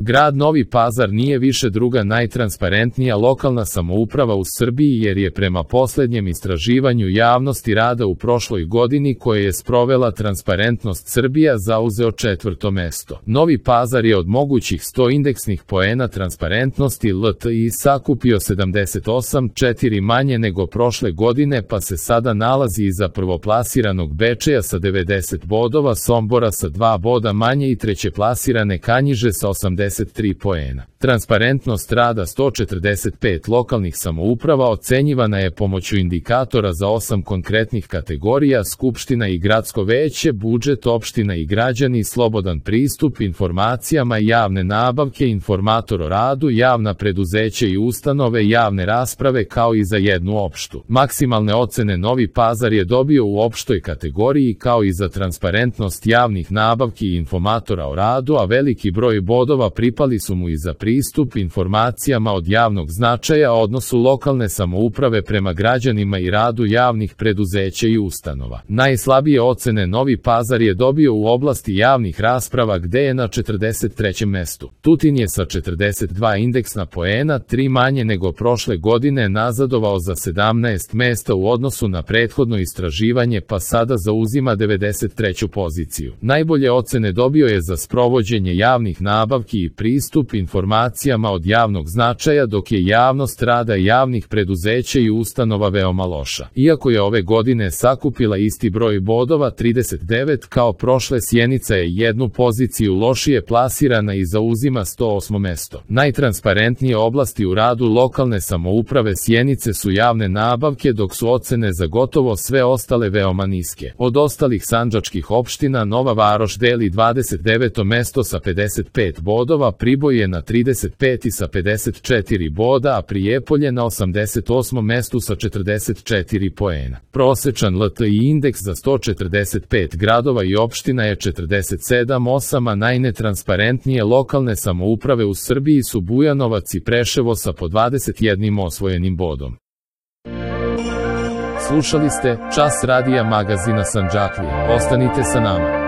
Grad Novi Pazar nije više druga najtransparentnija lokalna samouprava u Srbiji jer je prema posljednjem istraživanju javnosti rada u prošloj godini koje je sprovela Transparentnost Srbija zauzeo 4. mesto. Novi Pazar je od mogućih 100 indeksnih poena transparentnosti LTI sakupio 78,4 manje nego prošle godine pa se sada nalazi iza prvoplasiranog Bečeja sa 90 bodova, Sombora sa 2 boda manje i trećeplasirane Kanjiže sa 83 poena. Transparentnost rada 145 lokalnih samouprava ocenjivana je pomoću indikatora za 8 konkretnih kategorija: Skupština i gradsko veće, budžet opština i građani, slobodan pristup informacijama, javne nabavke, informator o radu, javna preduzeća i ustanove, javne rasprave kao i za jednu opštu. Maksimalne ocene Novi Pazar je dobio u opštoj kategoriji kao i za transparentnost javnih nabavki i informatora o radu, a veliki broj bodova pripali su mu i za pristup informacijama od javnog značaja, odnosu lokalne samouprave prema građanima i radu javnih preduzeća i ustanova. Najslabije ocene Novi Pazar je dobio u oblasti javnih rasprava gde je na 43. mestu. Tutin je sa 42 indeksna poena, 3 manje nego prošle godine, nazadovao za 17 mesta u odnosu na prethodno istraživanje pa sada zauzima 93. poziciju. Najbolje ocene dobio je za sprovođenje javnih nabavki i pristup informacijama od javnog značaja, dok je javnost rada javnih preduzeća i ustanova veoma loša. Iako je ove godine sakupila isti broj bodova 39 kao prošle, Sjenica je jednu poziciju lošije plasirana i zauzima 108. mesto. Najtransparentnije oblasti u radu lokalne samouprave Sjenice su javne nabavke, dok su ocene za gotovo sve ostale veoma niske. Od ostalih sandžačkih opština Nova Varoš deli 29. mesto sa 55 bodova, Priboj je na 35. sa 54 boda, a Prijepolje na 88. mestu sa 44 poena. Prosečan LTI indeks za 145 gradova i opština je 47,8, a najnetransparentnije lokalne samouprave u Srbiji su Bujanovac i Preševo sa po 21 osvojenim bodom. Slušali ste Čas radija magazina Sandžaklija. Ostanite sa nama.